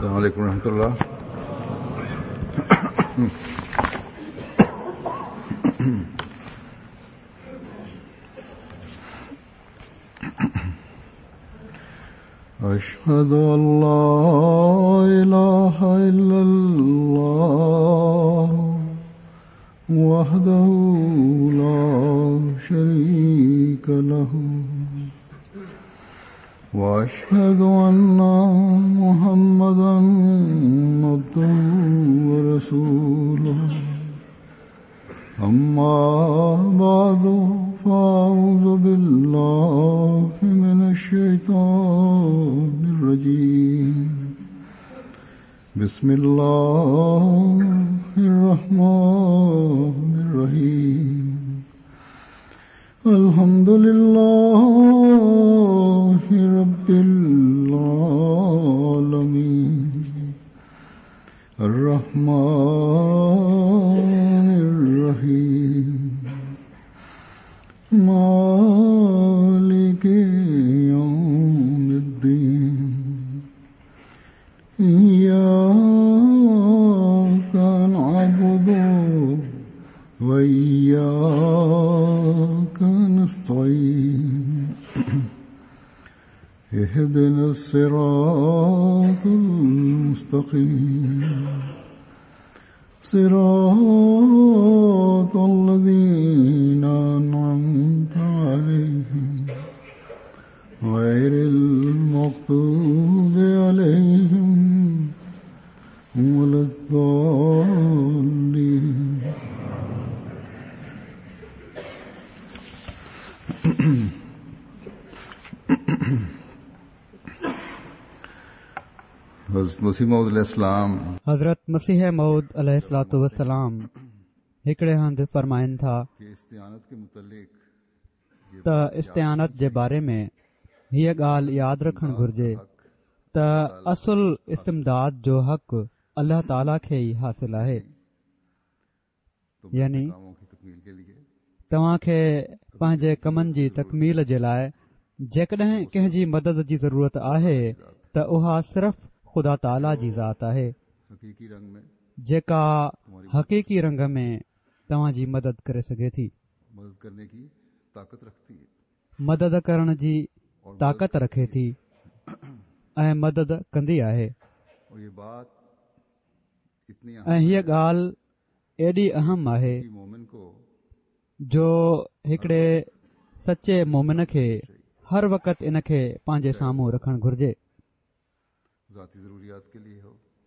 السلام عليڪم ورحمة الله. أشهد أن لا إله إلا الله وحده لا شريك له وأشهد أن محمدا عبده ورسوله. أما بعد، فأعوذ بالله من الشيطان الرجيم. بسم الله الرحمن الرحيم. الحمد لله رب العالمين، الرحمن الرحيم، مالك يوم الدين، إياك نعبد وإياك نستعين، اهدنا الصراط المستقيم، صراط الذين أنعمت عليهم، غير المغضوب عليهم ولا الضالين. حضرت مسيح موعود عليه السلام حضرت مسيح موعود عليه الصلوة والسلام هڪڙي هنڌ فرمائن ٿا ته استعانت جي باري ۾ هيء ڳالهه ياد رکڻ گهرجي ته اصل استمداد جو حق الله تعاليٰ کي ئي حاصل آهي. يعني توهان کي پنهنجي ڪمن جي تڪميل جي لاء جيڪڏهن ڪنهن جي مدد جي ضرورت آهي ته اها صرف خدا تعاليٰ جي ذات آهي جيڪا حقيقي رنگ ۾ توهان جي مدد ڪري سگهي ٿي. مدد ڪرڻ جي طاقت رکي ٿي ۽ مدد ڪندي آهي. ۽ هيء ڳالهه ايڏي اهم آهي جو هڪڙي سچي مومن کي هر وقت ان کي پنهنجي سامهون رکڻ گهرجي،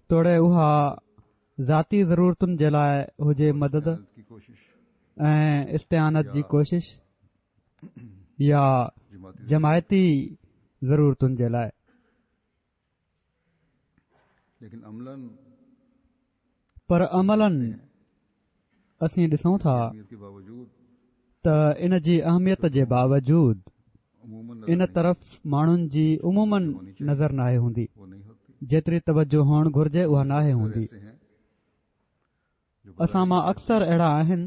توڙي اها ذاتي ضرورتن جي لاء هجي مدد ۽ استعانت جي ڪوشش يا جماعتي ضرورتن جي لاء. پر عملاً اسين ڏسون ٿا ته ان جي اهميت جي باوجود ان طرف ماڻهن جي عموماً نظر ناهي هوندي، جيتري توجه هئڻ گهرجي اها ناهي هوندي. اسان مان اڪثر اهڙا آهن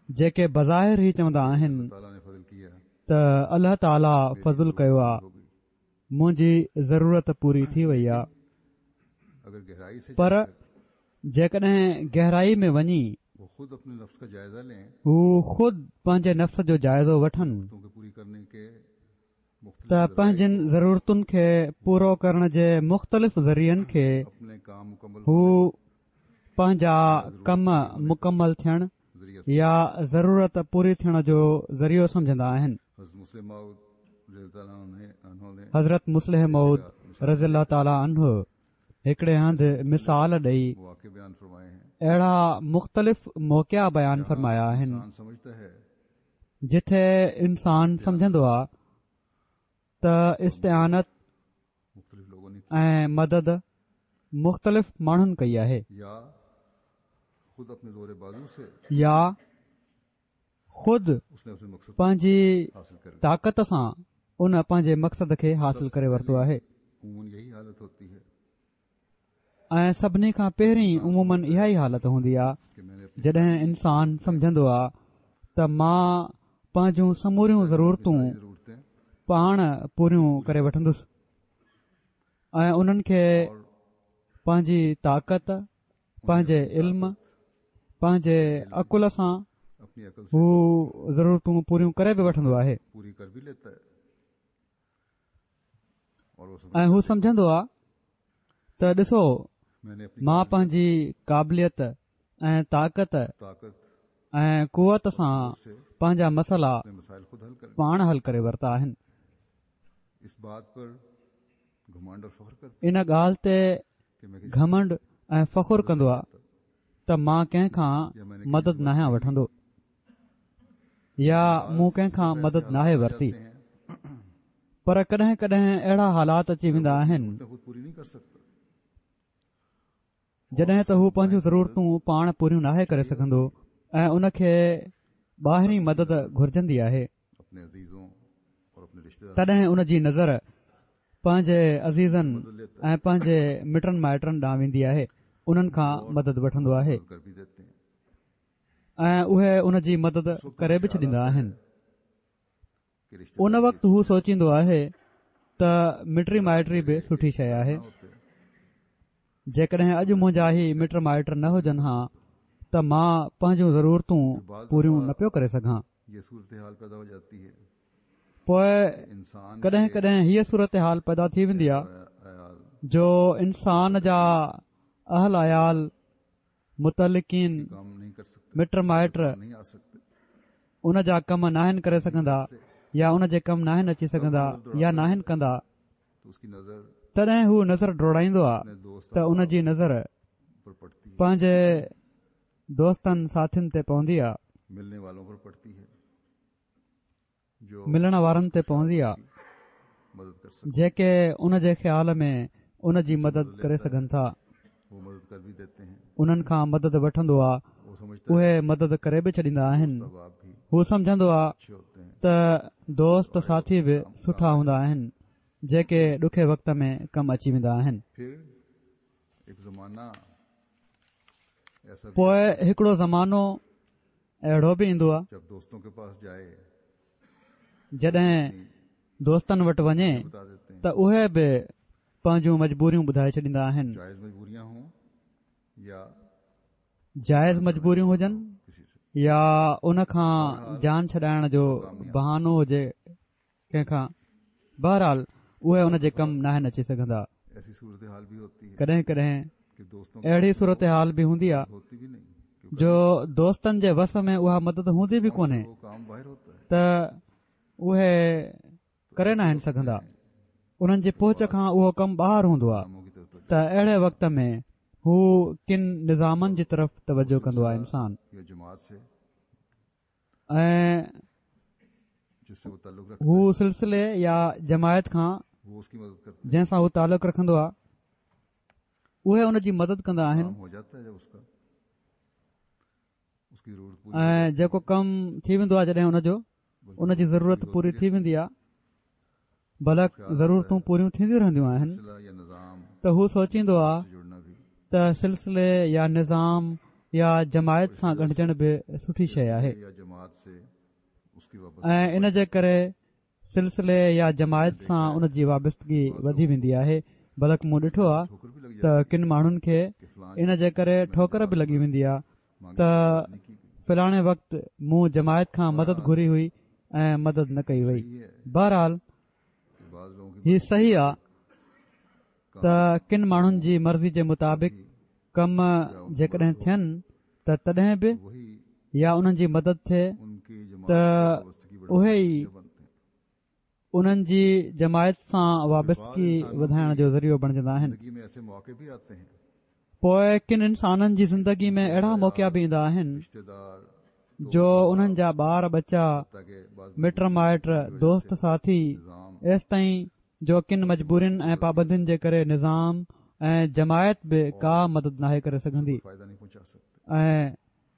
جيڪي بظاهر هي چوندا آهن ته الله تعاليٰ فضل ڪيو آ، منهنجي ضرورت پوري ٿي وئي آ. پر جيڪڏهن گهرائي ۾ وڃي هو خود پنهنجي نفس جو جائزو وٺن ته پنهنجين ضرورتن کي پورو ڪرڻ جي مختلف ذريعن کي هو پنهنجا ڪم مڪمل ٿيڻ يا ضرورت پوري ٿيڻ جو ذريعو سمجهندا آهن. حضرت مصلح موعود رضي الله تعالٰي عنه هڪڙي هنڌ مثال ڏئي اهڙا مختلف موقعا بيان فرمايا آهن جٿي انسان سمجهندو آ ته استعانت ۽ مدد مختلف ماڻهن ڪئي آهي يا خود پنهنجي طاقت سان ان پنهنجي مقصد کي حاصل ڪري ورتو آهي ۽ سڀني کان پهرين عموماً اها ئي حالت هوندي آ جڏهن انسان سمجهندو آ ته مان پنهنجون سموريون ضرورتون پاڻ پوريون ڪري وٺندس ۽ انهن کي پنهنجي طاقت، پنهنجي علم، پنهنجي عقل سان هو ضرورتون پوريون ڪري به وٺندو آهي ۽ هو سمجهندو آهي ته ڏسو مان پنهنجي قابليت ۽ طاقت ۽ قوت سان پنهنجا مسئلا پاڻ حل ڪري ورتا آهن. ان ڳالهه تي گهمنڊ ۽ فخر ڪندو آ ته مان ڪنهن کان مدد ناهيان وٺندو يا مون ڪنهن کان مدد ناهي ورتي پر ڪڏهن ڪڏهن اهڙا حالات اچي ويندا آهن جڏهن ته هو پنهنجون ضرورتون پاڻ پوريون ناهي ڪري سگهندو ۽ ان کي ٻاهرين مدد گهرجندي آهي تڏهن ان جي نظر پنهنجي عزيزن ۽ پنهنجي مٽن مائٽن ڏانهن ويندي آهي انهن کان مدد وٺندو آهي ۽ اهي ان جي مدد ڪري به ڇڏيندا آهن ان وقت هو سوچيندو آهي ته مٽي مائٽي به سٺي شيء آهي. جيڪڏهن اڄ منهنجا هي مٽ مائٽ نه هجن ها ته مان پنهنجون ضرورتون پوريون نه پيو ڪري سگهان. پوء ڪڏهن ڪڏهن هيء صورتحال پيدا ٿي ويندي آهي جو انسان جا اهل عيال متعلقين، مٽ مائٽ، ان جا ڪم ناهن ڪري سگهندا يا ان جي ڪم ناهن اچي سگهندا يا ناهن ڪندا، تڏهن هو نظر ڊوڙائيندو آ ته ان جي نظر پنهنجي دوستن ساٿين تي پوندي آ. ملڻ وارن تي پوندي آ جيڪي ان جي خيال ۾ ان جي مدد ڪري سگهن ٿا انهن کان مدد وٺندو آ اهي مدد ڪري به ڇڏيندا آهن هو سمجهندو آ ته دوست ساٿي به سٺا هوندا آهن جيڪي ڏکي وقت ۾ ڪم اچي ويندا آهن پوء هڪڙو زمانو اهڙو به ايندو آهي جڏهن دوستن وٽ وڃي ته اهي به پنهنجون مجبوريون ٻڌائي ڇڏيندا آهن جائز مجبوريون هجن يا ان کان جان ڇڏائڻ جو بهانو هجي ڪنهن کان بهرحال اهي ان جي ڪم ناهن اچي سگهندا ڪڏهن ڪڏهن اهڙي صورتحال به هوندي آهي جو دوستن جي وس ۾ اها مدد هوندي به ڪونهي ته اهي ڪري ناهن سگهندا انهن جي پهچ کان اهو ڪم ٻاهر هوندو آهي ته اهڙي وقت ۾ هو ڪن نظامن جي طرف توجه ڪندو آهي انسان ۽ هو سلسلي يا جماعت کان جنهن سان هو تعلق رکندو آهي اهي ان جي مدد ڪندا آهن ۽ جيڪو ڪم ٿي ويندو آهي جڏهن ان جو ان جي ضرورت پوري ٿي ويندي آهي بلڪ ضرورتون پوريون ٿينديون رهنديون آهن ته هو سوچيندو آهي ته سلسلي يا نظام يا جماعت سان ڳنڍجڻ به سٺي شيء آهي ۽ ان جي ڪري سلسلي يا جماعت سان ان جي وابستگي وڌي ويندي آهي بلڪ مون ڏٺو آهي ته ڪن ماڻهن کي ان جي ڪري ٺوڪر به لڳي ويندي آهي ته فلاڻي وقت مون جماعت کان مدد گهري هئي ۽ مدد نه ڪئي وئي. بهرحال هي صحيح آ ته ڪن ماڻهن جي مرضي جي مطابق ڪم جيڪڏهن ٿين ته تڏهن به يا انهن جي مدد ٿئي ته اهي ئي انهن جي جماعت سان وابستگي وڌائڻ جو ذريعو بڻجندا آهن. پوء ڪن انسانن جي زندگي ۾ اهڙا موقعا به ايندا آهن جو انهن جا ٻار ٻچا، مٽ مائٽ، دوست ساٿي ايستائين جو ڪن مجبورين ۽ پابندين جي ڪري نظام ۽ جماعت به ڪا مدد ناهي ڪري سگهندي ۽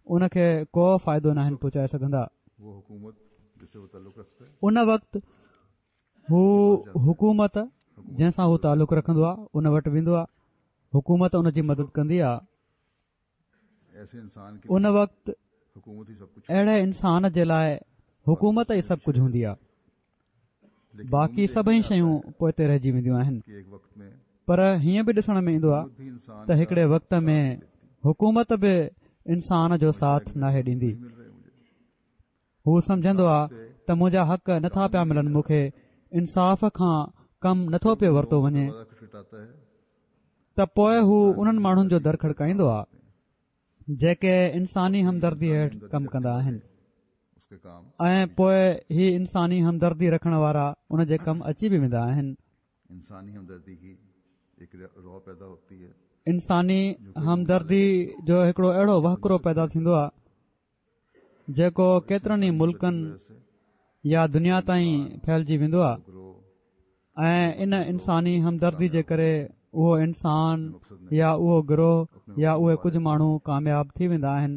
ان کي ڪو فائدو ناهن پهچائي سگهندا. ان وقت هو حڪومت جنهن سان هو تعلق رکندو آهي ان وٽ ويندو آهي حڪومت ان جي مدد ڪندي آهي ان وقت اهڙي انسان جي لاء حڪومت ئي سڀ ڪجهه هوندي آهي باقي سڀئي شيون پوئتي رهجي وينديون آهن. پر هيئن به ڏسڻ ۾ ايندو آهي ته هڪڙي وقت ۾ حڪومت به انسان جو ساٿ ناهي ڏيندي. هو سمجهندو آهي ته منهنجا حق نٿا پيا ملن مون کي انصاف کان ڪم نٿو پيو ورتو وڃي ته پوء هو انهن ماڻهن جو در کڙڪائيندو آهي جيڪي انساني همدردي هيٺ ڪم ڪندا آهن ۽ پوء هي انساني همدردي رکڻ وارا ان جي ڪم اچي به ويندا آهن. انساني همدردي جو هڪڙو اهڙو وهڪرو پيدا ٿيندو آهي جيڪو ڪيترن ئي ملڪن يا دنيا تائين ڦهلجي ويندو آهي ۽ ان انساني همدردي جي ڪري اهو انسان يا اهو گروهه يا اهي ڪجهه ماڻهو ڪامياب ٿي ويندا آهن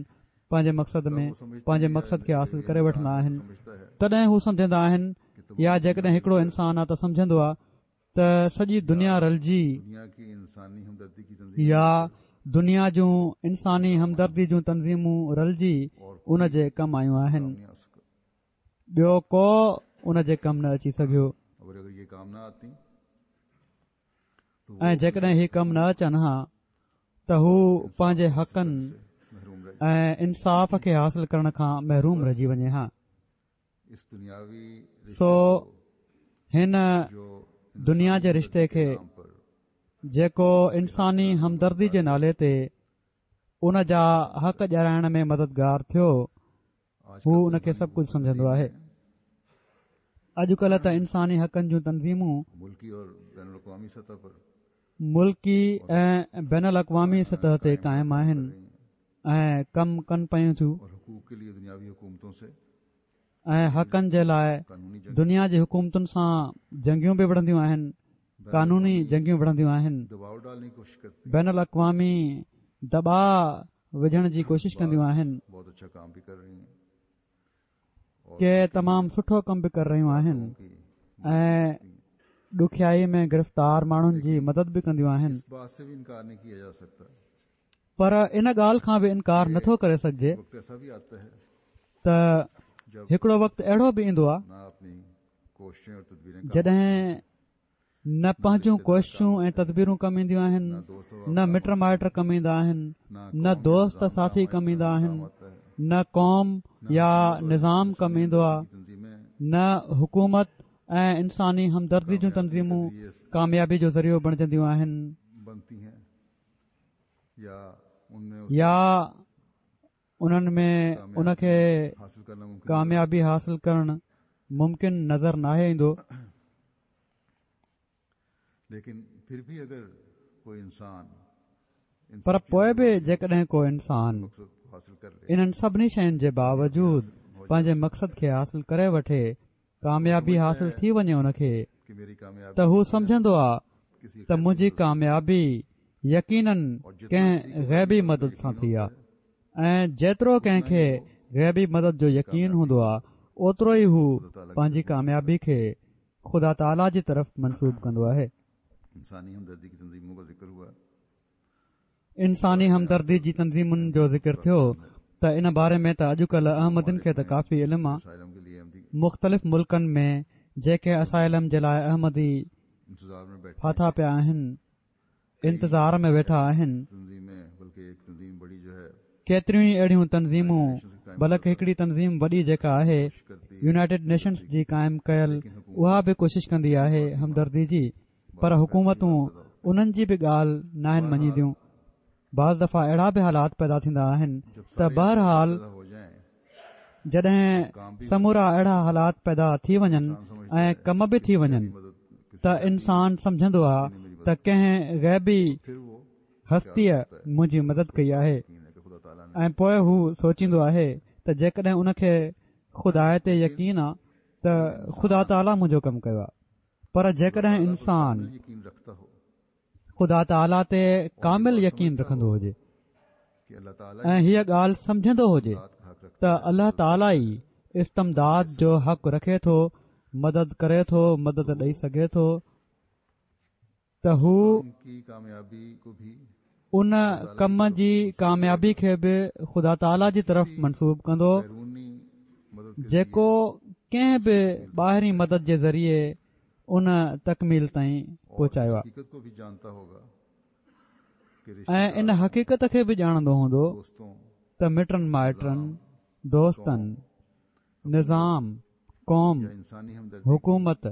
پنهنجي مقصد ۾ پنهنجي مقصد کي حاصل ڪري وٺندا آهن تڏهن هو سمجهندا آهن يا جيڪڏهن هڪڙو انسان آ ته سمجهندو آ ته سڄي دنيا رلجي يا دنيا جون انساني همدردي جون تنظيمون رلجي ان جي ڪم آيون آهن ٻيو ڪو ان جي ڪم نه اچي سگهيو ۽ جيڪڏهن هي ڪم نه اچن ها ته هو پنهنجي حقن ۽ انصاف کي حاصل ڪرڻ کان محروم رهجي وڃي ها سو هن دنيا جي رشتي کي جيڪو انساني همدردي جي نالي تي ان جا حق ڏيارائڻ ۾ مددگار ٿيو هو ان کي سڀ ڪجهه سمجهندو آهي اڄڪلهه ته انساني حقن جون تنظيمون ملڪي ۽ بين الاقوامي سطح تي قائم آهن ۽ ڪم ڪن پيون ٿيون ۽ حقن جي لاء دنيا جي حڪومتن سان جنگيون به وڙهنديون آهن قانوني جنگيون وڙهنديون آهن بين الاقوامي دٻاء وجهڻ جي ڪوشش ڪنديون آهن ڪي تمام سٺو ڪم به ڪري رهيون آهن ۽ ڏکيائي ۾ گرفتار ماڻهن جي مدد به ڪنديون آهن پر ان ڳالهه کان به انڪار نٿو ڪري سگهجي ته هڪڙو وقت اهڙو به ايندو آهي جڏهن نه پنهنجون ڪوششون ۽ تدبيرون ڪم اينديون آهن نه مٽ مائٽ ڪم ايندا آهن نه دوست ساٿي ڪم ايندا آهن نه قوم يا نظام ڪم ايندو آهي نه حڪومت ۽ انساني همدردي جون تنظيمون ڪاميابي جو ذريعو بڻجنديون آهن يا انهن ۾ ان کي ڪاميابي حاصل ڪرڻ ممڪن نظر ناهي ايندو. پر پوء به جيڪڏهن ڪو انسان انهن سڀني شين جي باوجود پنهنجي مقصد کي حاصل ڪري وٺي ڪاميابي حاصل ٿي وڃي ان کي ته هو سمجهندو آ ته منهنجي ڪاميابي يقينن ڪنهن غيبي مدد سان ٿي آ ۽ جيترو ڪنهن کي غيبي مدد جو يقين هوندو آ اوترو ئي هو پنهنجي ڪاميابي کي خدا تعاليٰ جي طرف منسوب ڪندو آهي. انساني همدردي جي تنظيمن جو ذڪر ٿيو ته ان باري ۾ ته اڄڪلهه احمدين کي ته ڪافي علم آ. مختلف ملڪن ۾ جيڪي اسائلم جي لاء احمدي ڦاٿا پيا آهن، انتظار ۾ ويٺا آهن. ڪيتريون ئي اهڙيون تنظيمون بلڪ هڪڙي تنظيم وڏي جيڪا آهي يونائيٽيڊ نيشنز جي قائم ڪيل اها به ڪوشش ڪندي آهي همدردي جي پر حڪومتون انهن جي به ڳالهه ناهن مڃينديون. بعض دفعا اهڙا به حالات پيدا ٿيندا آهن ته بهرحال جڏهن سمورا اهڙا حالات پيدا ٿي وڃن ۽ ڪم به ٿي وڃن ته انسان سمجهندو آ ته ڪنهن غيبي هستيء منهنجي مدد ڪئي آهي ۽ پوء هو سوچيندو آهي ته جيڪڏهن ان کي خدا تي يقين آ ته خدا تعاليٰ منهنجو ڪم ڪيو آ. پر جيڪڏهن انسان خدا تعاليٰ تي ڪامل يقين رکندو هجي ۽ هيء ڳالهه سمجهندو هجي ته الله تعاليٰ ئي استمداد جو حق رکي ٿو مدد ڪري ٿو مدد ڏئي سگهي ٿو ته هو ان ڪم جي ڪاميابي کي به خدا تعاليٰ جي طرف منسوب ڪندو جيڪو ڪنهن به ٻاهرين مدد جي ذريعي ان تڪميل تائين پهچايو آهي. ۽ ان حقيقت کي به ڄاڻندو هوندو ته مٽن مائٽن، دوستن، نظام، قوم، حڪومت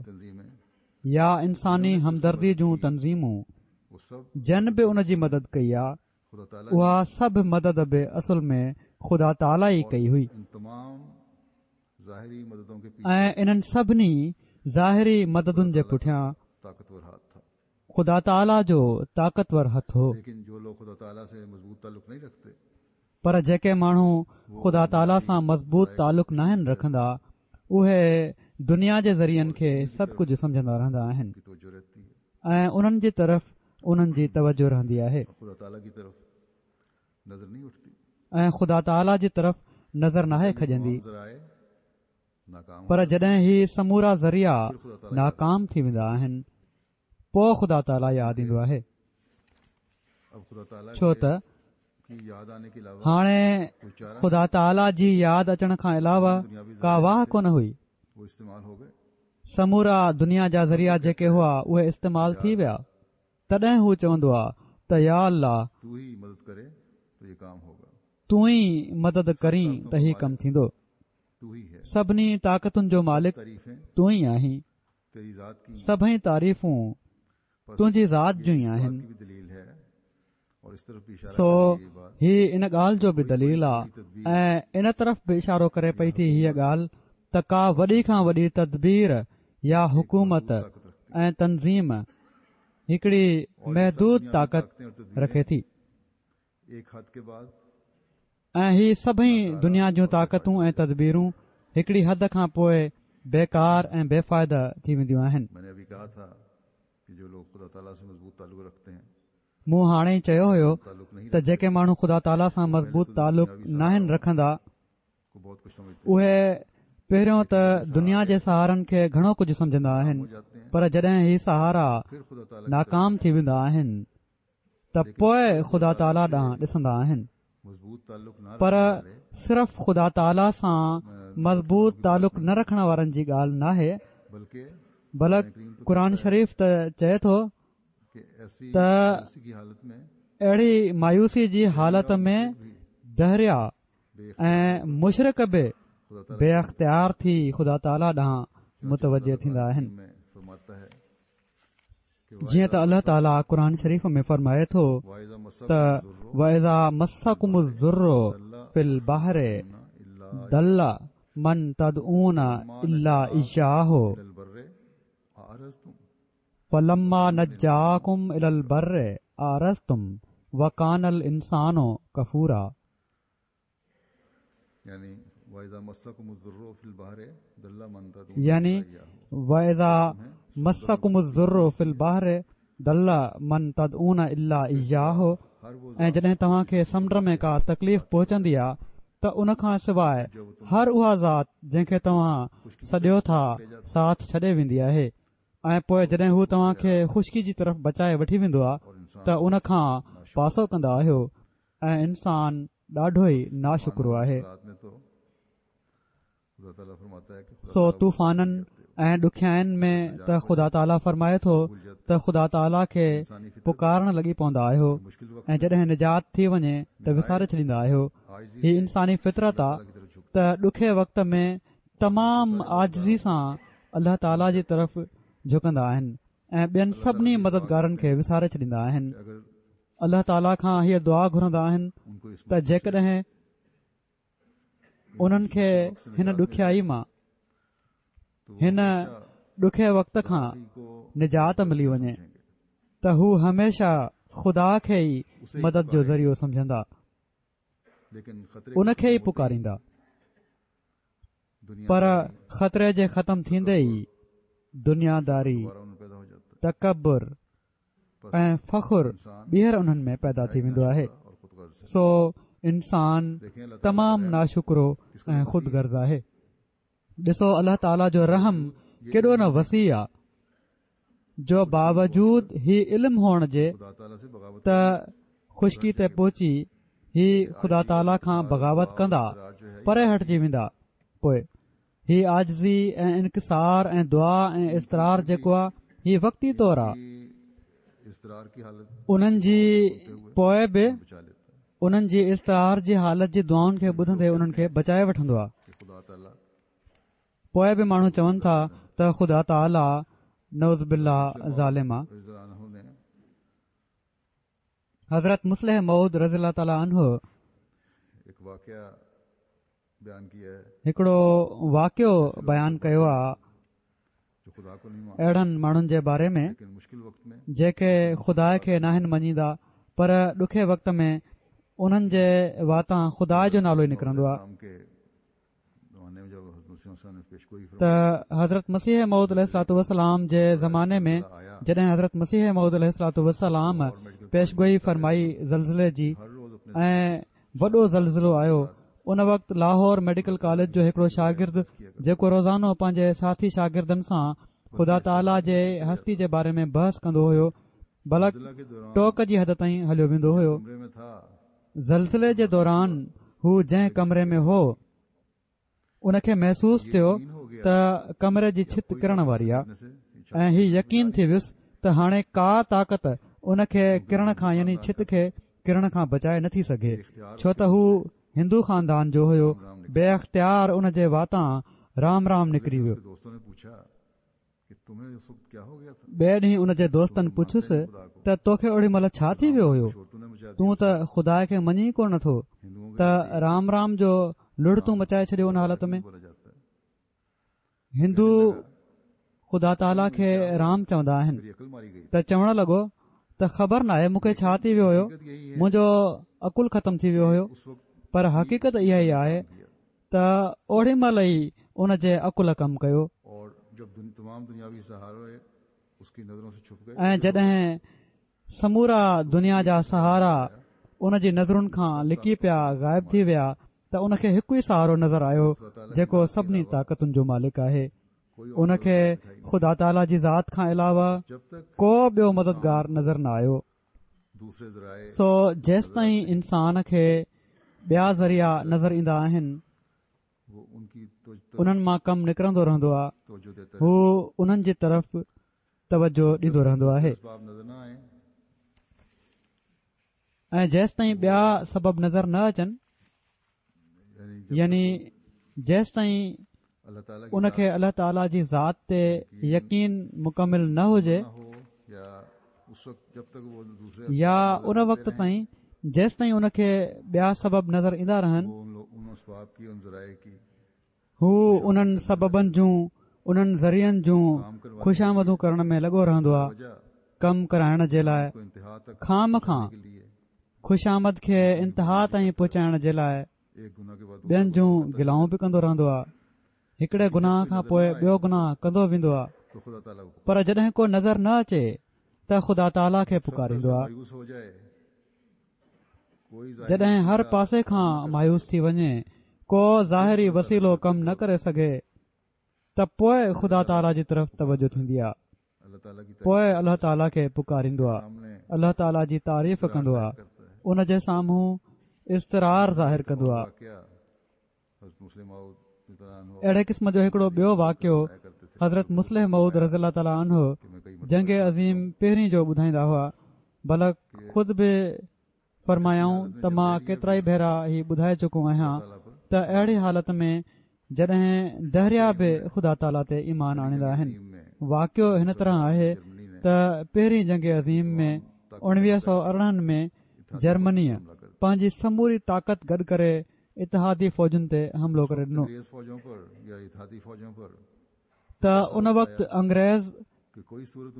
يا انساني همدردي جون تنظيمون جن به ان جي مدد ڪئي آ، اها سڀ مدد به اصل ۾ خدا تعاليٰ ئي ڪئي هئي. ۽ انهن سڀني ظاهري مددن جي پٺيان خدا تعاليٰ جو طاقتور هٿ هو. پر جيڪي ماڻهو خدا تعاليٰ سان مضبوط تعلق ناهن رکندا اهي دنيا جي ذريعن کي سڀ ڪجهه سمجهندا رهندا آهن ۽ انهن جي طرف انهن جي توجه رهندي آهي ۽ خدا تعاليٰ جي طرف نظر ناهي کڄندي پر جڏهن هي سمورا ذريعا ناڪام ٿي ويندا آهن پوء خدا تعاليٰ ياد ايندو آهي ڇو ته هاڻي خدا تعاليٰ جي ياد اچڻ کان علاوه ڪا واهه ڪونه هئي سمورا دنيا جا ذريعا جيڪي هئا اهي استعمال ٿي ويا تڏهن هو چوندو آ ته يا الله تون ئي مدد ڪرين ته هي ڪم ٿيندو سڀني طاقتن جو مالڪ تون ئي آهين سڀئي تعريفون تنهنجي ذات جون ئي آهن. سو هي ان ڳالهه جو به دليل آ ۽ ان طرف به اشارو ڪري پئي ٿي هيء ڳالهه ته ڪا وڏي کان وڏي تدبير يا حڪومت ۽ تنظيم هڪڙي محدود طاقت رکي ٿي. ۽ هي سڀئي دنيا جون طاقتون ۽ تدبيرون هڪڙي حد کان پوء بيڪار ۽ بي فائده ٿي وينديون آهن. مون هاڻي ئي چيو هيو ته جيڪي ماڻهو خدا تعاليٰ سان مضبوط تعلق ناهن رکندا اهي پهريون ته دنيا جي سهارن کي گهڻو ڪجهه سمجهندا آهن پر جڏهن هي سهارا ناڪام ٿي ويندا آهن ته پوء خدا تعاليٰ ڏانهن ڏسندا آهن پر صرف خدا تعاليٰ سان مضبوط تعلق نه رکڻ وارن جي ڳالهه ناهي بلڪ قرآن شريف ته چئي ٿو ته اهڙي مايوسي جي حالت ۾ دهريا ۽ مشرڪ به بي اختيار ٿي خدا تعاليٰ ڏانهن متوجه ٿيندا آهن. جيئن ته الله تعاليٰ قرآن شريف ۾ فرمائي ٿو ته واذا مسڪم الضر في البحر ضل من تدعون الا اياه فلما نجاڪم الي البر اعرضتم وڪان الانسان ڪفورا يعني واذا مسڪم الضر في البحر ضل من تدعون الا اياه ۽ جڏهن توهان کي سمنڊ ۾ ڪا تڪليف پهچندي آ ته ان کان سواء هر اها ذات جنهن کي توهان سڏيو ٿا ساٿ ڇڏي ويندي آهي ۽ پوء جڏهن هو توهان کي خشڪي جي طرف بچائي وٺي ويندو آ ته ان کان پاسو ڪندا آهيو ۽ انسان ڏاڍو ئي ناشڪرو آهي. سو طوفانن ۽ ڏکيائين ۾ ته خدا تعاليٰ فرمائي ٿو ته خدا تعاليٰ کي پڪارڻ لڳي پوندا آهيو ۽ جڏهن نجات ٿي وڃي ته وساري ڇڏيندا آهيو. هي انساني فطرت آ ته ڏکي وقت ۾ تمام عاجزي سان الله تعاليٰ جي طرف جهڪندا آهن ۽ ٻين سڀني مددگارن کي وساري ڇڏيندا آهن. الله تعاليٰ کان هيء دعا گهرندا آهن ته جيڪڏهن انهن کي هن ڏکيائي مان هن ڏکي وقت کان نجات ملي وڃي ته هو هميشه خدا کي ئي مدد جو ذريعو سمجهندا ان کي ئي پڪاريندا پر خطري جي ختم ٿيندي ئي دنيا داري تڪبر ۽ فخر ٻيهر انهن ۾ پيدا ٿي ويندو آهي سو انسان تمام ناشڪرو ۽ خود غرض آهي ڏسو الله تعاليٰ جو رحم ڪيڏو نه وسيع آ جو باوجود هي علم هئڻ جي ته خشڪي تي پهچي هي خدا تعاليٰ کان بغاوت ڪندا پري هٽجي ويندا پوء هي عاجزي ۽ انڪسار ۽ دعا ۽ اضطرار جيڪو آ هي وقتي طور آ. انهن جي پوء به انهن جي اضطرار جي حالت جي دعائن کي ٻڌندي انهن کي بچائي وٺندو آهي. پوء به ماڻهو چون ٿا ته خدا تعاليٰ نعوذ بالله ظالم آ. حضرت مصلح موعود رضي الله تعاليٰ عنه هڪڙو واقعو بيان ڪيو آ اهڙن ماڻهن جي باري ۾ جيڪي خدا کي ناهن مڃيندا پر ڏکي وقت ۾ انهن جي واتان خدا جو نالو ئي نڪرندو آ ته حضرت مسيح موعود عليه الصلوة والسلام جي زماني ۾ جڏهن حضرت مسيح موعود عليه الصلوة والسلام پيشگوئي فرمائي زلزلي جي ۽ وڏو زلزلو آيو ان وقت لاهور ميڊيڪل ڪاليج جو هڪڙو شاگرد جيڪو روزانو پنهنجي ساٿي شاگردن سان خدا تعاليٰ جي هستي جي باري ۾ بحث ڪندو هيو بلڪ ٽوڪ جي حد تائين هليو ويندو هيو زلزلي جي دوران هو جنهن ڪمري ۾ هو ان کي محسوس ٿيو ته ڪمري جي ڇت ڪرڻ واري آ ۽ هي يقين ٿي ويس ته هاڻي ڪا طاقت ان کي ڪرڻ کان يعني ڇت کي ڪرڻ کان بچائي نٿي سگهي ڇو ته هو هندو خاندان جو هيو بي اختيار ان جي واتان رام رام نڪري ويو. ٻئي ڏينهن ان جي دوستن پڇيس ته توکي اوڏي مهل ڇا ٿي ويو هيو؟ تون ته خدا کي مڃين ڪو نه ٿو ته رام رام جو لڙ تون مچائي ڇڏيو ان حالت ۾. هندو خدا تعاليٰ کي رام چوندا آهن ته چوڻ لڳو ته خبر ناهي مون کي ڇا ٿي ويو هيو منهنجو عقل ختم ٿي ويو هيو پر حقيقت اها ئي آهي ته اوڏي مهل ئي ان جي عقل ڪم ڪيو. ۽ جڏهن سمورا دنيا جا سهارا ان جي نظرن کان لڪي پيا غائب ٿي ويا ته ان کي هڪ ئي سهارو نظر آيو جيڪو سڀني طاقتن جو مالڪ آهي. ان کي خدا تعاليٰ جي ذات کان علاوه ڪو ٻيو مددگار نظر نه آيو. سو جيستائين انسان کي ٻيا ذريعا نظر ايندا آهن انهن مان ڪم نڪرندو رهندو آهي هو انهن جي طرف توجه ڏيندو رهندو آهي ۽ جيستائين ٻيا سبب نظر نه اچن يعني جيستائين ان کي الله تعاليٰ جي ذات تي يقين مڪمل نه هجي يا ان وقت تائين جيستائين ان کي ٻيا سبب نظر ايندا رهن هو انهن سببن جون انهن ذريعن جون خوشامدون ڪرڻ ۾ لڳو رهندو آهي ڪم ڪرائڻ جي لاء خوامخواه خوشامد کي انتها تائين پهچائڻ جي لاء ٻين جون گلائون به ڪندو رهندو آهي هڪڙي گناهه کان پوء ٻيو گناهه ڪندو ويندو آهي پر جڏهن ڪو نظر نه اچي ته خدا تعاليٰ کي پڪاريندو آهي جڏهن هر پاسي کان مايوس ٿي وڃي، ڪو ظاهري وسيلو ڪم نه ڪري سگهي ته پوء خدا تعاليٰ جي طرف توجه ٿيندي آهي. پوء الله تعاليٰ کي پڪاريندو آهي، الله تعاليٰ جي تعريف ڪندو آهي، ان جي سامهون اضطرار ظاهر ڪندو آهي. اهڙي قسم جو هڪڙو ٻيو واقعو حضرت مصلح موعود رضي الله تعالٰي عنه جنگ عظيم پهرين جو ٻڌائيندا هئا بلڪ خود به فرمايائون ته مان ڪيترائي ڀيرا هي ٻڌائي چڪو آهيان ته اهڙي حالت ۾ جڏهن دهريا به خدا تعاليٰ تي ايمان آڻيندا آهن واقعو هن طرح آهي ته پهرين جنگ عظيم ۾ 1918 ۾ جرمنيء پنهنجي سموري طاقت گڏ ڪري اتحادي فوجن تي حملو ڪري ڏنو ته ان وقت انگريز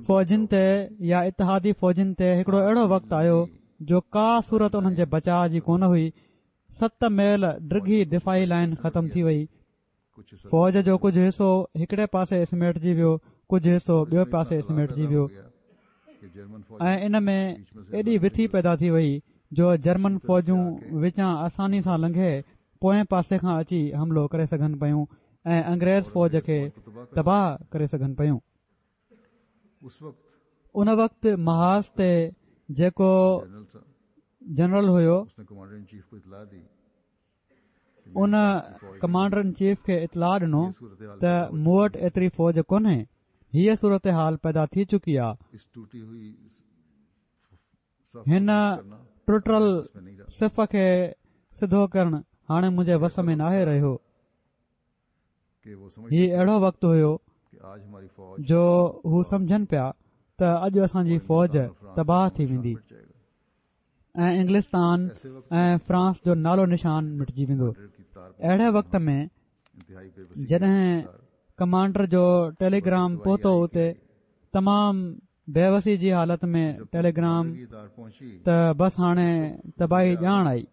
فوجن تي يا اتحادي فوجن تي هڪڙو اهڙو وقت آيو جو ڪا صورت انهن جي بچاء جي ڪونه هئي ست ميل ڊگهي دفاعي لائن ختم ٿي وئي فوج جو ڪجهه حصو هڪڙي پاسي سميٽجي ويو ڪجهه حصو ٻيو پاسي سميٽجي ويو ۽ ان ۾ ايڏي وٿي پيدا ٿي وئي جو جرمن فوجون وچان آساني سان لنگهي پوئين پاسي کان اچي حملو ڪري سگهن پيون ۽ انگريز فوج کي تباهه ڪري سگهن پيون. ان وقت محاذ تي جيڪو general have. In commander in chief کي اطلاع ڏنو ته مون وٽ ايتري فوج ڪونهي، هيء صورتحال پيدا ٿي چڪي آ. هن ٽٽل صف کي سڌو ڪرڻ هاڻي منهنجي وس ۾ ناهي رهيو. هي اهڙو وقت هيو جو هو سمجهن پيا ته اڄ اسان جي فوج تباهه ٿي ويندي ۽ انگلستان ۽ فرانس جو نالو نشان مٽجي ويندو. اهڙي وقت ۾ جڏهن ڪمانڊر جو ٽيليگرام پهتو اتي تمام بيوسي جي حالت ۾ ٽيليگرام ته بس هاڻي تباهي ڄاڻ آئي.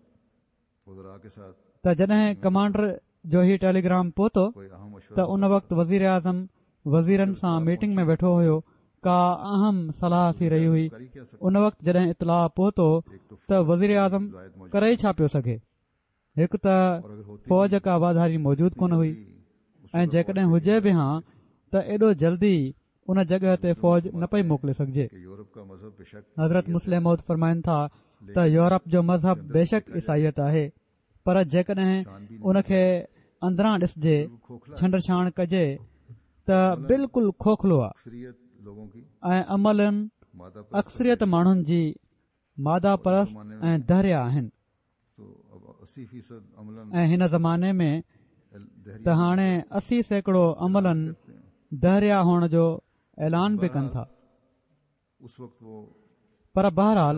ته جڏهن ڪمانڊر جو هي ٽيليگرام پهتو ته ان وقت وزيراعظم وزيرن سان ميٽنگ ۾ ويٺو هيو ڪا اهم صلاح ٿي رهي هئي ان وقت جڏهن اطلاع پهتو ته وزيراعظم ڪري ئي ڇا پيو سگهي هڪ ته فوج ڪا واڌاري موجود ڪونه هئي ۽ جيڪڏهن هجي به هان ته ايڏو جلدي ان جڳهه تي فوج نه پئي موڪلي سگهجي. حضرت مصلح موعود فرمائن ٿا ته يورپ جو مذهب بيشڪ عيسائيت آهي پر جيڪڏهن ان کي اندران ڏسجي ڇنڊ ڇاڻ ڪجي ته بلڪل کوکلو آهي ۽ عملاً اڪثريت ماڻهن جي ماده پرست ۽ دهريا آهن. ۽ هن زماني ۾ ته هاڻي 80% عملاً دهريا هئڻ جو اعلان به ڪن ٿا. پر بهرحال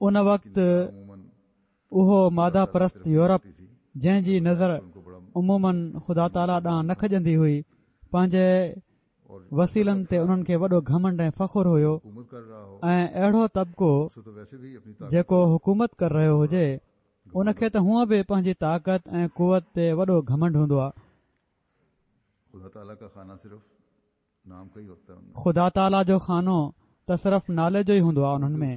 ان وقت اهو ماده پرست يورپ جنهن جي نظر عموماً خدا تعاليٰ ڏانهن نه کڄندي هئي پنهنجي وسيلن تي انهن کي وڏو گهمنڊ ۽ فخر هيو ۽ اهڙو طبقو جيڪو حڪومت ڪري رهيو هجي ان کي ته هونء به پنهنجي طاقت ۽ قوت تي وڏو گهمنڊ هوندو آهي. خدا تعاليٰ جو خانو ته صرف نالي جو ئي هوندو آهي انهن ۾.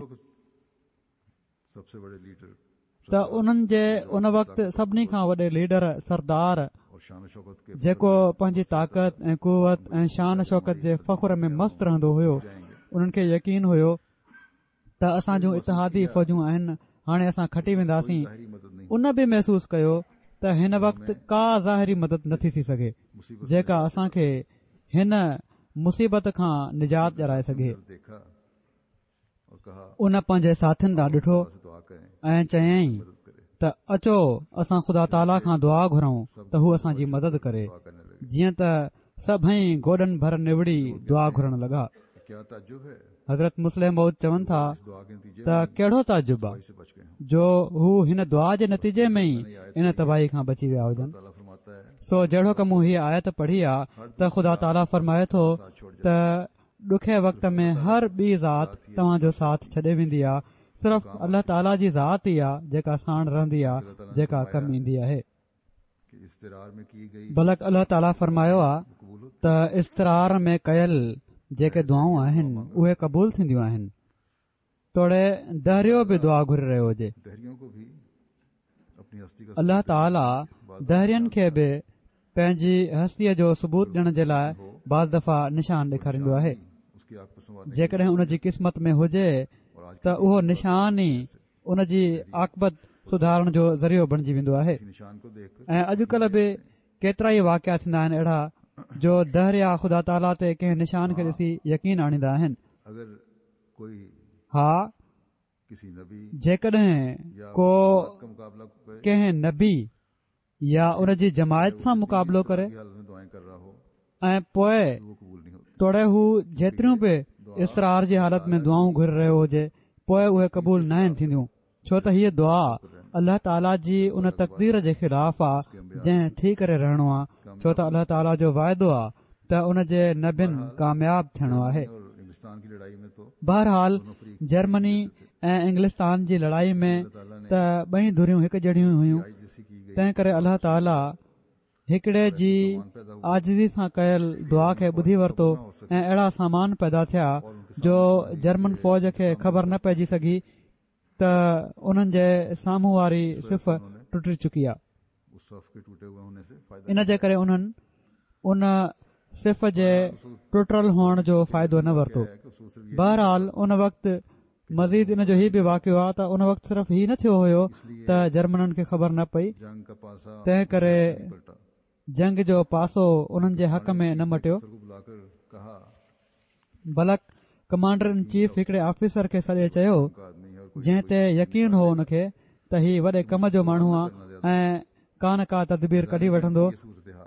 ته انهن جي ان وقت سڀني کان وڏي ليڊر سردار جيڪو پنهنجي طاقت ۽ قوت ۽ شان شوڪت جي فخر ۾ مست رهندو هيو انهن کي يقين هيو ته اسان جون اتحادي فوجون آهن هاڻي اسان کٽي وينداسين ان به محسوس ڪيو ته هن وقت ڪا ظاهري مدد نٿي ٿي سگهي جيڪا اسان کي هن مصيبت کان نجات ڏيارائي سگهي. ان پنهنجي ساٿين ڏانهن ڏٺو ۽ چيائين ته اچو اسان خدا تعاليٰ کان دعا گهرون ته هو اسان جي مدد ڪري جيئن ته سڀئي گوڏن ڀر نوڙي دعا گهرڻ لڳا حضرت مصلح موعود چون ٿا ته ڪهڙو تعجب آ جو هو هن دعا جي نتيجي ۾ ئي ان تباهي کان بچي ويا هجن سو جهڙوڪ مون هيء آيت پڙهي آ ته خدا تعاليٰ فرمائي ٿو ته ڏکئي وقت ۾ هر ٻي ذات توهان جو ساٿ ڇڏي ويندي آ، صرف الله تعاليٰ جي ذات ئي آ جيڪا ساڻ رهندي آ، جيڪا ڪم ايندي آهي. بلڪ الله تعاليٰ فرمايو آ ته اضطرار ۾ ڪيل جيڪي دعائون آهن اهي قبول ٿينديون آهن. توڙي دهريو به دعا گهري رهيو هجي. الله تعاليٰ دهرين کي به پنهنجي هستيء جو ثبوت ڏيڻ جي لاء بعض دفعا نشان ڏيکاريندو آهي. جيڪڏهن ان جي قسمت ۾ هجي ته اهو نشان ئي ان جي عاقبت سڌارڻ جو ذريعو بڻجي ويندو آهي ۽ اڄڪلهه به ڪيترائي واقعا ٿيندا آهن اهڙا جو دهريا خدا تعاليٰ تي ڪنهن نشان کي ڏسي يقين آڻيندا آهن. ها جيڪڏهن ڪو ڪنهن نبي يا ان جي جماعت سان مقابلو ڪري ۽ پوء توڙي هو جيتريون به اضطرار جي حالت ۾ دعائون گهري رهيو هجي پوء اهي قبول ناهن ٿينديون ڇو ته هيء دعا الله تعاليٰ جي ان تقدير جي خلاف آ جنهن ٿي ڪري رهڻو آ ڇو ته الله تعاليٰ جو وعدو آ ته ان جي نبين ڪامياب ٿيڻو آهي. بهرحال جرمني ۽ انگلستان جي لڙائي ۾ ته ٻئي ڌريون هڪ جهڙيون هيون تنهن ڪري الله تعاليٰ هڪڙي جي عاجزي سان ڪيل دعا کي ٻڌي ورتو ۽ اهڙا سامان پيدا ٿيا جو جرمن فوج کي خبر نه پئجي سگهي ته انهن جي سامهون واري صف ٽٽي چڪي آهي. ان جي ڪري انهن ان صف جي ٽٽل هئڻ جو فائدو نه ورتو. بهرحال ان وقت مزيد ان جو هي به واقعو آهي ته ان وقت صرف هي نه ٿيو هيو ته جرمنن کي خبر نه پئي تنهن ڪري جنگ جو پاسو انهن جي حق ۾ نه مٽيو بلڪ. ڪمانڊر ان چيف هڪڙي آفيسر کي سڏي چيو، جنهن تي يقين هو ان کي ته هي وڏي ڪم جو ماڻهو آ ۽ ڪا نه ڪا تدبير ڪڍي وٺندو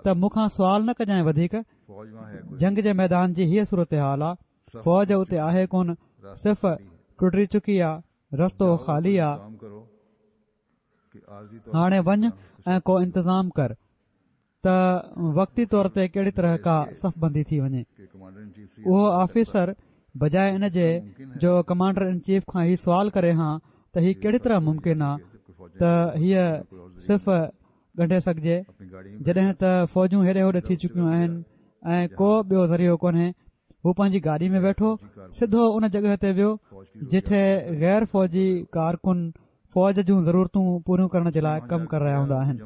ته مون کان سوال نه ڪجانء وڌيڪ، جنگ جي ميدان جي هيء صورتحال آ، فوج اتي آهي ڪونه، صف ٽٽي چڪي آ، رستو خالي آ، هاڻي وڃ ۽ ڪو انتظام ڪر. ته وقتي طور تي ڪهڙي طرح ڪا صف بندي ٿي وڃي. اهو آفيسر بجاء ان جي جو ڪمانڊر ان چيف کان هي سوال ڪري هان ته هي ڪهڙي طرح ممڪن آ ته هيء صف ڳنڍي سگهجي جڏهن ته فوجون هيڏي هوڏي ٿي چڪيون آهن ۽ ڪو ٻيو ذريعو ڪونهي هو پنهنجي گاڏي ۾ ويٺو سڌو ان جڳهه تي ويو جتي غير فوجي ڪارڪن فوج جون ضرورتون پوريون ڪرڻ جي لاء ڪم ڪري رهيا هوندا آهن.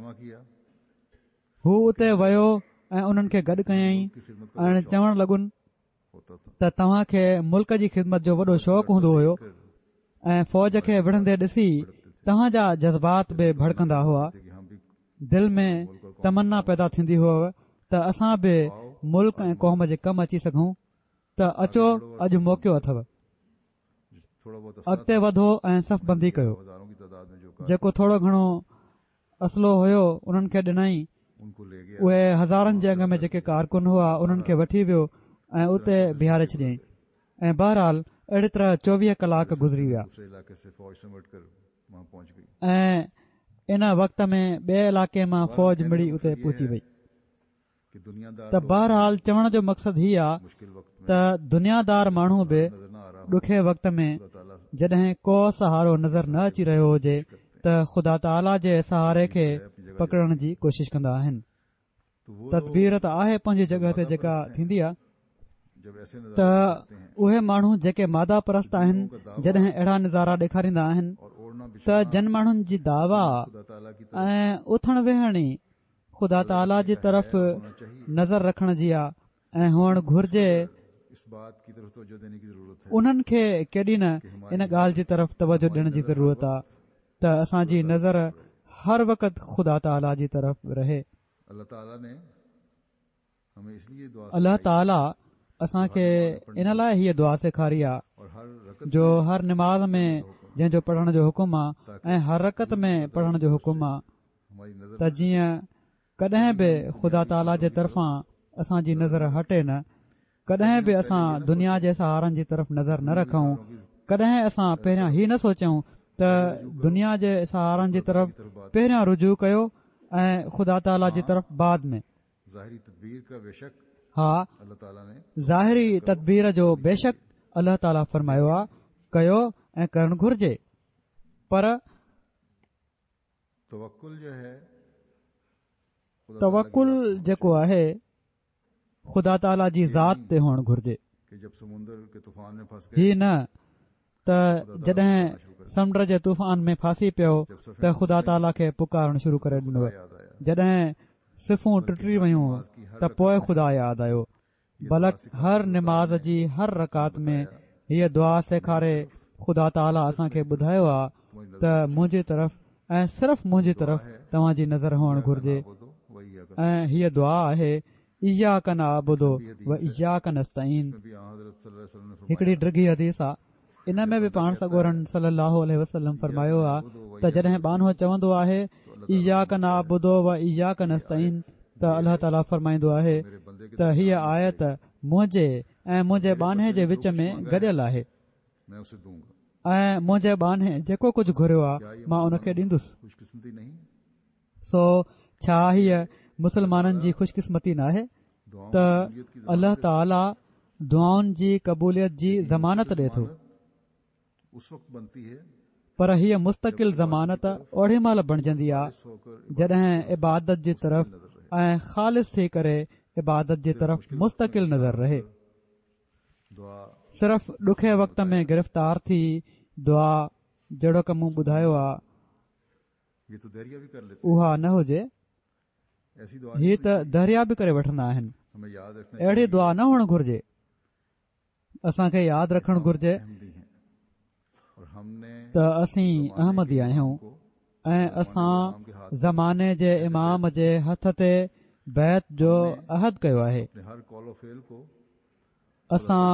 هو اتي ويو ۽ انهن کي گڏ ڪيائين ۽ چوڻ لڳن ته توهان کي ملڪ جي خدمت جو وڏو شوق هوندو هيو ۽ فوج کي وڙهندي ڏسي توهان جا جذبات به ڀڙڪندا هئا دل ۾ تمنا پيدا ٿيندي هئي ته اسان به ملڪ ۽ قوم جي ڪم اچي سگهون ته اچو اڄ موقعو اٿو اڳتي وڌو ۽ صف بندي ڪيو جيڪو ٿورو گهڻو اسلحو هيو انهن کي ڏنائين. اهي هزارن جي انگ ۾ جيڪي ڪارڪن هئا انهن کي وٺي ويو ۽ اتي بيهاري ڇڏيائين ۽ بهرحال اهڙي طرح 24 ڪلاڪ گذري ويا ۽ ان وقت ۾ ٻئي علائقي مان فوج مڙي اتي پهچي وئي. ته بهرحال چوڻ جو مقصد هي آ ته دنيا دار ماڻهو به ڏکي وقت ۾ جڏهن ڪو سهارو نظر نه اچي رهيو هجي ته خدا تعاليٰ جي سهاري کي پڪڙڻ جي ڪوشش ڪندا آهن. تدبير ته آهي پنهنجي جڳهه تي جيڪا ٿيندي آ ته اهي ماڻهو جيڪي ماده پرست آهن جڏهن اهڙا نظارا ڏيکاريندا آهن ته جن ماڻهن جي دعويٰ ۽ اٿڻ ويهڻ ئي خدا تعاليٰ جي طرف نظر رکڻ جي آ ۽ هئڻ گهرجي انهن کي ڪيڏي نه ان ڳالهه جي طرف توجه ڏيڻ جي ضرورت آ ته اسان جي نظر هر وقت خدا تعاليٰ جي طرف رهي. الله تعاليٰ اسان کي ان لاء هيء دعا سيکاري آ جو هر نماز ۾ جنهن جو پڙهڻ جو حڪم آ ۽ هر رڪعت ۾ پڙهڻ جو حڪم آ ته جيئن ڪڏهن به خدا تعاليٰ جي طرفان اسان جي نظر هٽي نه، ڪڏهن به اسان دنيا جي سهارن جي طرف نظر نه رکون، ڪڏهن اسان پهريان هي نه سوچيون ته دنيا جي سهارن جي طرف پهريان رجوع ڪيو ۽ خدا تعاليٰ جي طرف بعد ۾. ها ظاهري تدبير جو بيشڪ الله تعاليٰ فرمايو آ ڪيو ۽ ڪرڻ گهرجي پر توڪل جيڪو آهي خدا تعاليٰ جي ذات تي هئڻ گهرجي. هي نه ته جڏهن سمنڊ جي طوفان ۾ ڦاسي پيو ته خدا تعاليٰ کي پڪارڻ شروع ڪري ڏنو. جڏهن صفون ٽٽي ويون ته پوء خدا ياد آيو. بلڪ هر نماز جي هر رڪعت ۾ هيء دعا سيکاري خدا تعاليٰ اسان کي ٻڌايو آ ته منهنجي طرف ۽ صرف منهنجي طرف توهان جي نظر هئڻ گهرجي ۽ هيء دعا آهي اياڪ نعبد و اياڪ نستعين هڪڙي ڊگهي حديث آ ان ۾ به پاڻ سڳورن صلي الله عليه وسلم فرمايو آ ته جڏهن ٻانهو چوندو آهي اياڪ نعبد و اياڪ نستعين ته الله تعالي فرمائيندو آهي ته هيء آيت منهنجي ۽ منهنجي ٻانهي جي وچ ۾ گڏيل آهي ۽ منهنجي ٻانهي جيڪو ڪجهه گهريو آ مان ان کي ڏيندس. سو ڇا هيء مسلمانن جي خوش قسمتي ناهي ته الله تعالي دعائن جي قبوليت جي ضمانت ڏي ٿو پر هيء مستقل ضمانت اوڏي مهل بڻجندي آ جڏهن عبادت جي طرف ۽ خالص ٿي ڪري عبادت جي طرف مستقل نظر رهي صرف ڏکي وقت ۾ گرفتار ٿي دعا جهڙوڪ مون ٻڌايو آ اها نه هجي، هي ته دهريا به ڪري وٺندا آهن، اهڙي دعا نه هئڻ گهرجي، اسان کي ياد رکڻ گهرجي ته اسين احمدي آهيون ۽ اسان زماني جي امام جي هٿ تي بيعت جو عهد ڪيو آهي. اسان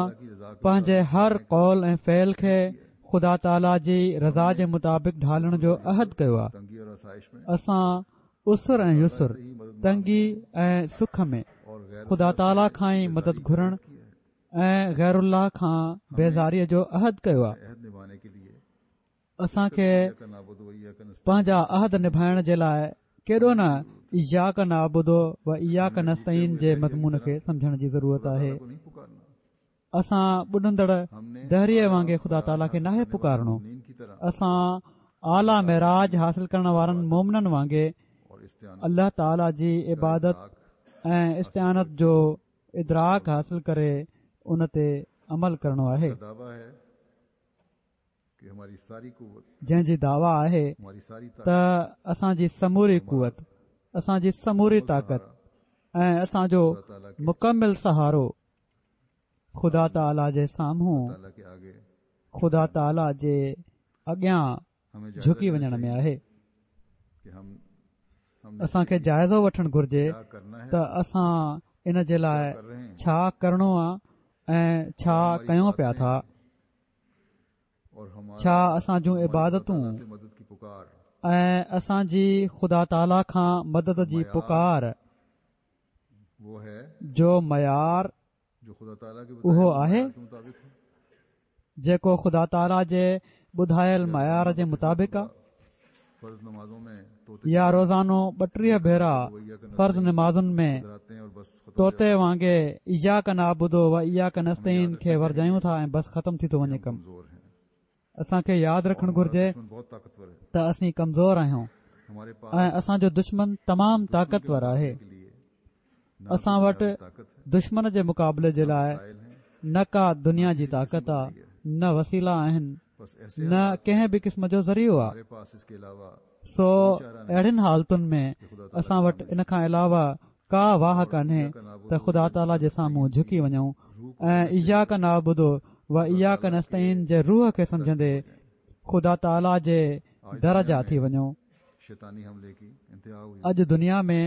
پنهنجي هر قول ۽ فعل کي خدا تعاليٰ جي رضا جي مطابق ڍالڻ جو عهد ڪيو آهي. اسان عسر ۽ يسر، تنگي ۽ سک ۾ خدا تعاليٰ کان ئي مدد گهرڻ ۽ غير الله کان بيزاريء جو عهد ڪيو آهي. اسان کي پنهنجا عهد نڀائڻ جي لاء ڪيڏو نه اياڪ نعبد و اياڪ نستعين جي مضمون کي سمجهڻ جي ضرورت آهي. اسان ٻڏندڙ دهريي وانگي خدا تعاليٰ کي ناهي پڪارڻو. اسان اعليٰ معراج حاصل ڪرڻ وارن مومنن وانگي الله تعاليٰ جي عبادت ۽ استعانت جو ادراڪ حاصل ڪري ان تي عمل ڪرڻو آهي. جنهن جي دعويٰ آهي ته اسان جي سموري قوت، اسان جي سموري طاقت ۽ اسان جو مڪمل سهارو خدا تعاليٰ جي سامهون، خدا تعاليٰ جي اڳيان جهڪي وڃڻ ۾ آهي. اسان کي جائزو وٺڻ گهرجي ته اسان ان جي لاء ڇا ڪرڻو آ ۽ ڇا ڪيون پيا ٿا. ڇا اسان جون عبادتون ۽ اسان جي خدا تعاليٰ کان مدد جي پڪار جو معيار اهو آهي جيڪو خدا تعاليٰ جي ٻڌايل معيار جي مطابق آهي يا روزانو 32 ڀيرا فرض نمازن ۾ طوطي وانگي اياڪ نعبد و اياڪ نستعين کي ورجايون ٿا ۽ بس ختم ٿي ٿو وڃي ڪم. اسان کي ياد رکڻ گهرجي ته اسين ڪمزور آهيون ۽ اسان جو دشمن تمام طاقتور آهي. اسان وٽ دشمن جي مقابلي جي لاء نه ڪا دنيا جي طاقت آ، نه وسيلا آهن، نه ڪنهن به قسم جو ذريعو آ. سو اهڙين حالتن ۾ اسان وٽ ان کان علاوه ڪا واهه ڪانهي ته خدا تعاليٰ جي سامهون جهڪي وڃون ۽ اياڪ نعبد و اياڪ نستعين جي روح کي سمجهندي خدا تعاليٰ جي در جا ٿي وڃون. اڄ دنيا ۾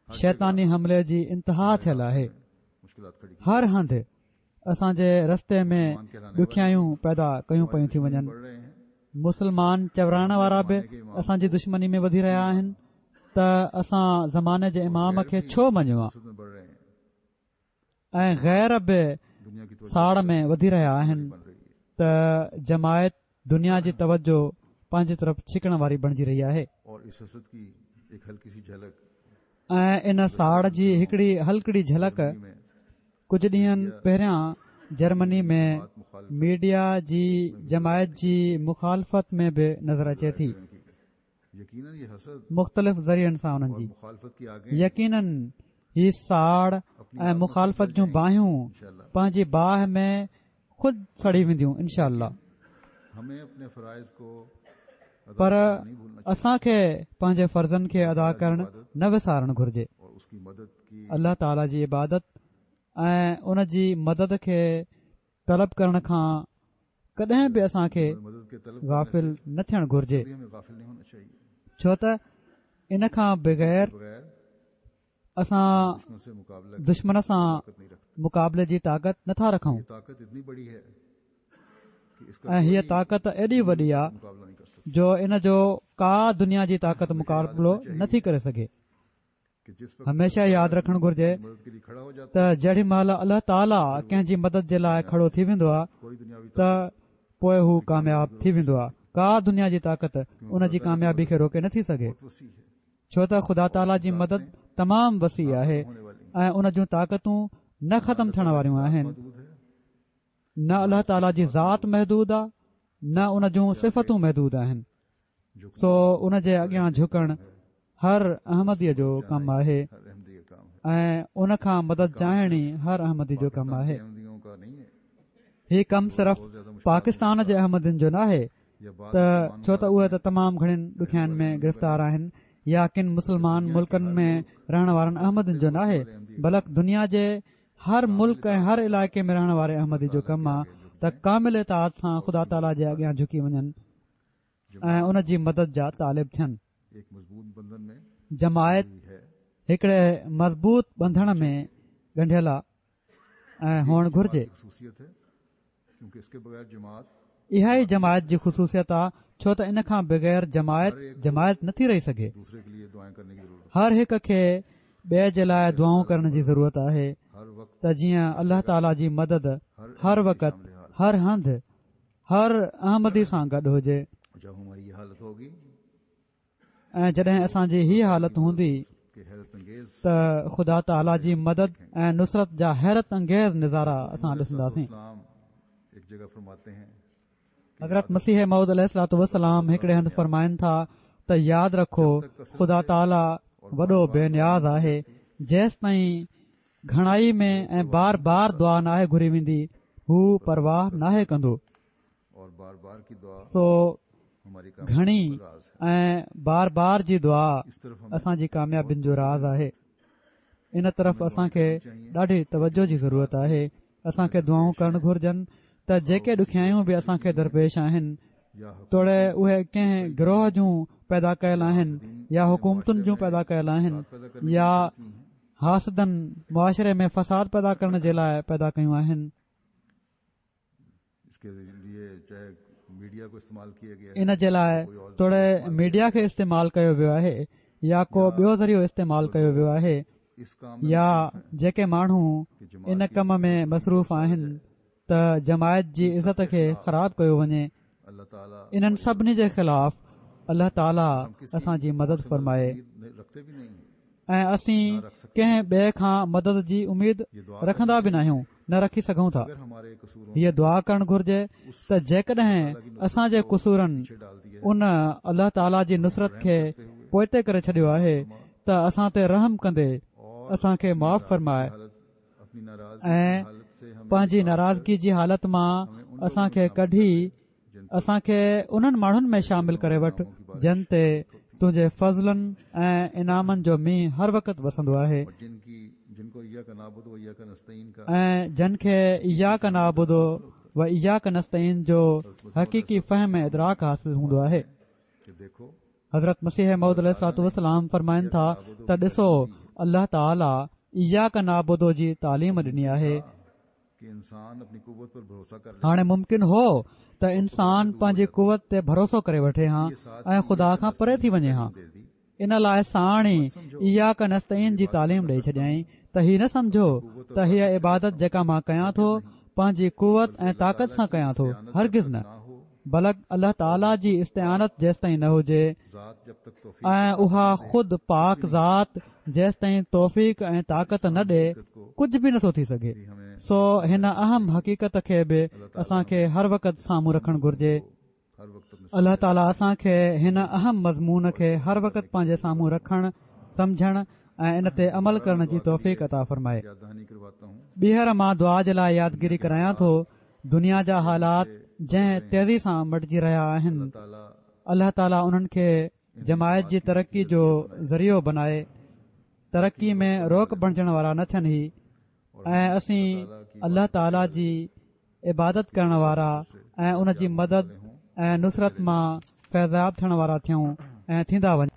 شيطاني حملي جي انتها ٿيل آهي. هر هنڌ اسان جي رستي ۾ ڏکيائيون پيدا ڪيون پيون ٿيون وڃن. مسلمان چورائڻ وارا به اسان جي دشمني ۾ وڌي رهيا آهن ته اسان زماني جي امام کي ڇو مڃيو آ ۽ غير به ساڙ ۾ وڌي رهيا آهن ته جماعت دنيا جي توجه پنهنجي طرف ڇڪڻ واري بڻجي رهي آهي. ۽ ان ساڙ جي هڪڙي هلڪڙي جهلڪ ڪجهه ڏينهن پهريان جرمني ۾ ميڊيا جي جماعت جي مخالفت ۾ به نظر اچي ٿي. مختلف ذريعن سان انهن جي يقينن هي ساڙ ۽ مخالفت جون باهيون پنهنجي باهه ۾ خود سڙي وينديون انشاء الله. پر اسان کي پنهنجي فرضن کي ادا ڪرڻ نه وسارڻ گهرجي. الله تعالي جي عبادت ۽ ان جي مدد کي طلب ڪرڻ کان ڪڏهن به اسان کي غافل نه ٿيڻ گهرجي ڇو ته ان کان بغير اسان دشمن سان مقابلي جي طاقت نٿا رکون ۽ هيء طاقت ايڏي وڏي آ جو ان جو ڪا دنيا جي طاقت مقابلو نٿي ڪري سگهي هميشه ياد رکڻ گهرجي ته جهڙي مهل الله تعاليٰ ڪنهن جي مدد جي لاء کڙو ٿي ويندو آهي ته پوء هو ڪامياب ٿي ويندو آهي ڪا دنيا جي طاقت ان جي ڪاميابي کي روڪي نٿي سگهي ڇو ته خدا تعاليٰ جي مدد تمام وسيع آهي ۽ ان جون طاقتون نه ختم ٿيڻ واريون آهن نه الله تعاليٰ جي ذات محدود آهي نه ان جون صفتون محدود آهن سو ان جي اڳيان جهڪڻ هر احمديء جو ڪم آهي ۽ ان کان مدد چاهڻ ئي هر احمدي جو ڪم آهي. هي ڪم صرف پاڪستان جي احمدين جو ناهي ته ڇو ته اهي ته تمام گهڻين ڏکيائين ۾ گرفتار آهن يا ڪن مسلمان ملڪن ۾ رهڻ وارن احمدين جو ناهي بلڪ دنيا جي هر ملڪ ۽ هر علائقي ۾ رهڻ واري احمدي جو ڪم آ ته ڪامل اطاعت سان خدا تعاليٰ جي اڳيان جهڪي وڃن ۽ ان جي مدد جا طالب ٿين. جماعت هڪڙي مضبوط ٻنڌڻ ۾ ڳنڍيل آ. ۽ هئڻ گهرجي. اها ئي جماعت جي خصوصيت آ ڇو ته ان کان بغير جماعت جماعت نٿي رهي سگهي. هر هڪ کي ٻئي جي لاء دعائون ڪرڻ جي ضرورت آهي ته جيئن الله تعالي جي مدد هر وقت هر هنڌ هر احمدي سان گڏ هجي. ۽ جڏهن اسان جي هي حالت هوندي ته خدا تعاليٰ جي مدد ۽ نصرت جا حيرت انگيز نظارا اسان ڏسنداسين. حضرت مسيح موعود عليه الصلوة والسلام هڪڙي هنڌ فرمائن ٿا ته ياد رکو خدا تعاليٰ وڏو بي نياز آهي جيستائين گهڻائي ۾ ۽ بار بار دعا ناهي گهري ويندي هو پرواهه ناهي ڪندو. سو گهڻي ۽ بار بار جي دعا اسان جي ڪاميابين جو راز آهي. ان طرف اسان کي ڏاڍي توجه جي ضرورت آهي. اسان کي دعائون ڪرڻ گهرجن ته جيڪي ڏکيائيون به اسان کي درپيش آهن توڙي اهي ڪنهن گروهه جون پيدا ڪيل آهن يا حڪومتن جون پيدا ڪيل آهن يا حاسدن معاشري ۾ فساد پيدا ڪرڻ جي لاء پيدا ڪيون آهن. ان جي لاء توڙي ميڊيا کي استعمال ڪيو ويو آهي يا ڪو ٻيو ذريعو استعمال ڪيو ويو آهي يا جيڪي ماڻهو ان ڪم ۾ مصروف آهن ته جماعت جي عزت کي خراب ڪيو وڃي انهن سڀني جي خلاف الله تعالي اسان جي مدد فرمائي ۽ اسين ڪنهن ٻئي کان مدد جي اميد رکندا به ناهيون نه رکي سگهون ٿا. هيء دعا ڪرڻ گهرجي ته جيڪڏهن اسان جي قصورن ان الله تعاليٰ جي نصرت کي پوئتي ڪري ڇڏيو آهي ته اسان تي رحم ڪندي اسان کي معاف فرمائي ۽ پنهنجي ناراضگي جي حالت مان اسان کي ڪڍي اسان کي انهن ماڻهن ۾ شامل ڪري وٺ جن تي تنهنجي فضلن ۽ انعامن جو مينهن هر وقت وسندو آهي ۽ جن کي اياڪ نعبد و اياڪ نستعين جو حقيقي فهم ۽ ادراڪ حاصل هوندو آهي. حضرت مسيح موعود عليه الصلوة والسلام فرمائن ٿا ته ڏسو الله تعالي اياڪ نعبد جي تعليم ڏني آهي. هاڻي ممڪن هو ته انسان پنهنجي قوت تي ڀروسو ڪري وٺي هان ۽ خدا کان پري ٿي وڃي هان. ان لاء ساڻ ئي اياڪ نستعين جي تعليم ڏئي ڇڏيائين ته هي نه سمجهو ته هيء عبادت جيڪا مان ڪيان ٿو پنهنجي قوت ۽ طاقت سان ڪيان ٿو، هرگز نه، بلڪ الله تعاليٰ جي استعانت جيستائين نه هجي ۽ اها خود پاڪ ذات جيستائين توفيق ۽ طاقت نه ڏي ڪجهه به نٿو ٿي سگهي. سو هن اهم حقيقت کي به اسان کي هر وقت سامهون رکڻ گهرجي. الله تعاليٰ اسان کي هن اهم مضمون کي هر وقت پنهنجي سامهون رکڻ، سمجهڻ ۽ ان تي عمل ڪرڻ جي توفيق عطا فرمائي. ٻيهر مان دعا جي لاء يادگيري ڪرايان ٿو، دنيا جا حالات جنهن تيزي سان مٽجي رهيا آهن، الله تعاليٰ انهن کي جماعت جي ترقي جو ذريعو بنائي، ترقي ۾ روڪ بڻجڻ وارا نه ٿين هي ۽ اسين الله تعاليٰ جي عبادت ڪرڻ وارا ۽ ان جي مدد ۽ نصرت مان فيضياب ٿيڻ وارا ٿيون ۽ ٿيندا وڃون.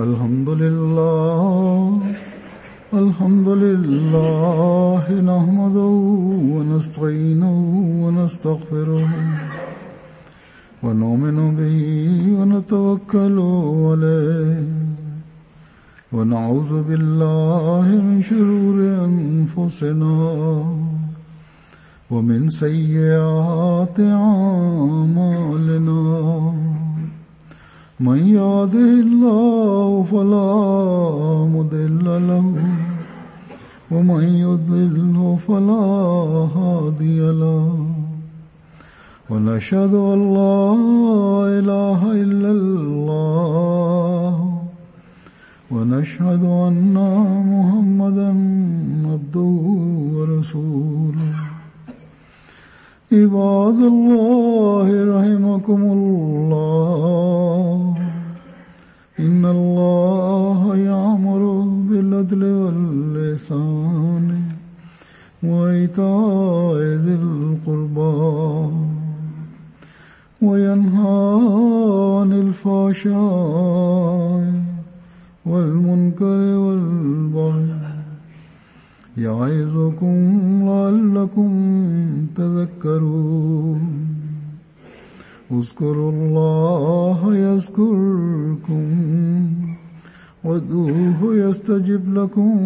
الحمد لله الحمد لله نحمده ونستعينه ونستغفره ونؤمن به ونتوكل عليه ونعوذ بالله من شرور أنفسنا ومن سيئات أعمالنا من يهده الله فلا مضل له ومن يضلله فلا هادي له ونشهد أن لا إله إلا الله ونشهد أن محمدا عبده ورسوله عباد الله رحمكم الله إن الله يأمر بالعدل واللسان وإيتاء ذي القربى. وينهى عن الفحشاء والمنكر والبغي يعظكم لعلكم تذكرون. اذكروا الله يذكركم وادعوه يستجب لكم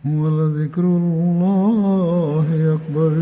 ولذكر الله أكبر.